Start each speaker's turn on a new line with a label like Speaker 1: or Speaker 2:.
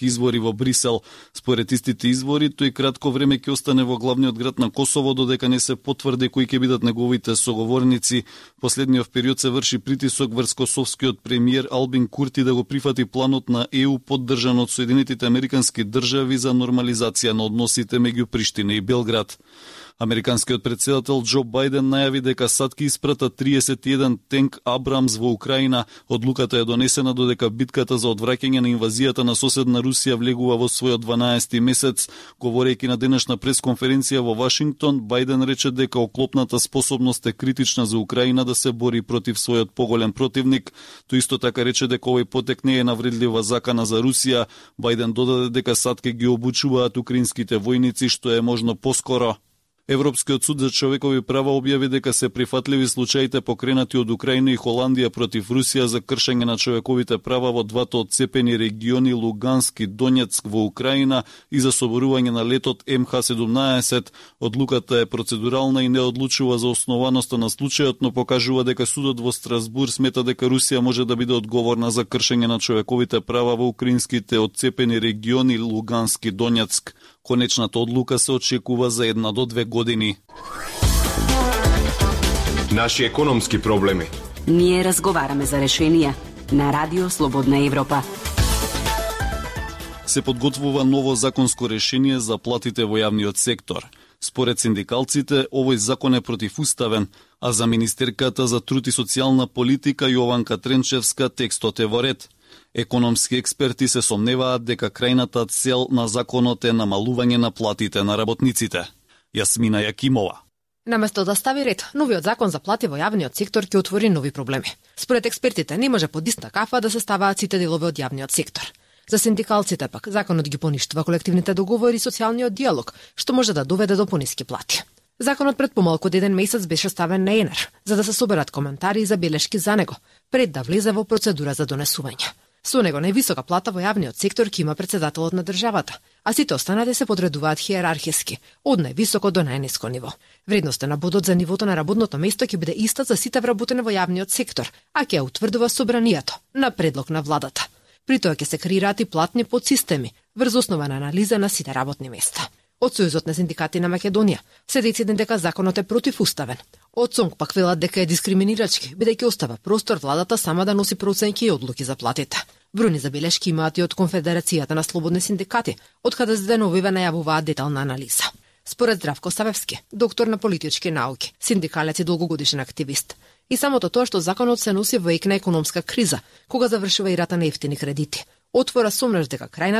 Speaker 1: избори во Брисел. Според истите избори, тој кратко време ќе остане во главниот град на Косово додека не се потврди кои ќе бидат неговите соговорници. Последниот период се врши притисок врз косовскиот премиер Албин Курти да го прифати планот на ЕУ поддржан од Соединетите Американски држави за нормализација на односите меѓу Приштина и Белград. Американскиот председател Џо Бајден најави дека САД ќе испрата 31 тенк Абрамс во Украина. Одлуката е донесена додека битката за одвраќање на инвазијата на соседна Русија влегува во својот 12-ти месец. Говорејќи на денешна пресконференција во Вашингтон, Бајден рече дека оклопната способност е критична за Украина да се бори против својот поголем противник. Тој исто така рече дека овој потек не е навредлива закана за Русија. Бајден додаде дека САД ќе ги обучуваат украинските војници што е можно поскоро. Европскиот суд за човекови права објави дека се прифатливи случаите покренати од Украина и Холандија против Русија за кршење на човековите права во двата одцепени региони Луганск и Донецк во Украина и за соборување на летот МХ-17. Одлуката е процедурална и не одлучува за основаноста на случајот, но покажува дека судот во Страсбур смета дека Русија може да биде одговорна за кршење на човековите права во украинските одцепени региони Луганск и Донецк. Конечната одлука се очекува за 1 до 2 години.
Speaker 2: Наши економски проблеми.
Speaker 3: Ние разговараме за решенија на Радио Слободна Европа.
Speaker 1: Се подготвува ново законско решение за платите во јавниот сектор. Според синдикалците, овој закон е противуставен, а за министерката за труд и социјална политика Јованка Тренчевска текстот е во ред. Економски експерти се сомневаат дека крајната цел на законот е намалување на платите на работниците. Јасмина Јакимова.
Speaker 4: Наместо да стави ред, новиот закон за плати во јавниот сектор ќе отвори нови проблеми. Според експертите, не може под иста кафа да се ставаат сите делови од јавниот сектор. За синдикалците пак, законот ги поништува колективните договори и социјалниот диалог, што може да доведе до пониски плати. Законот пред помалку од 1 месец беше ставен на ЕНЕР, за да се соберат коментари и забелешки за него, пред да влезе во процедура за донесување. Со него највисока плата во јавниот сектор ќе има председателот на државата, а сите останати се подредуваат хиерархиски, од највисоко до најниско ниво. Вредноста на бодот за нивото на работното место ќе биде иста за сите вработени во јавниот сектор, а ќе ја утврдува собранието на предлог на владата. При тоа ќе се креираат и платни подсистеми врз основа на анализа на сите работни места. Од Сојузот на синдикати на Македонија се дециден дека законот е противуставен. Од СОНГ пак велат дека е дискриминирачки, бидејќи остава простор владата сама да носи проценки и одлуки за платите. Бројни забелешки имаат и од Конфедерацијата на слободни синдикати, од каде за деновиве најавуваат детална анализа. Според Здравко Савевски, доктор на политички науки, синдикалец и долгогодишен активист, и самото тоа што законот се носи во ек на економска криза, кога завршува ирата на ефтини кредити, отвора сомнеш дека крајната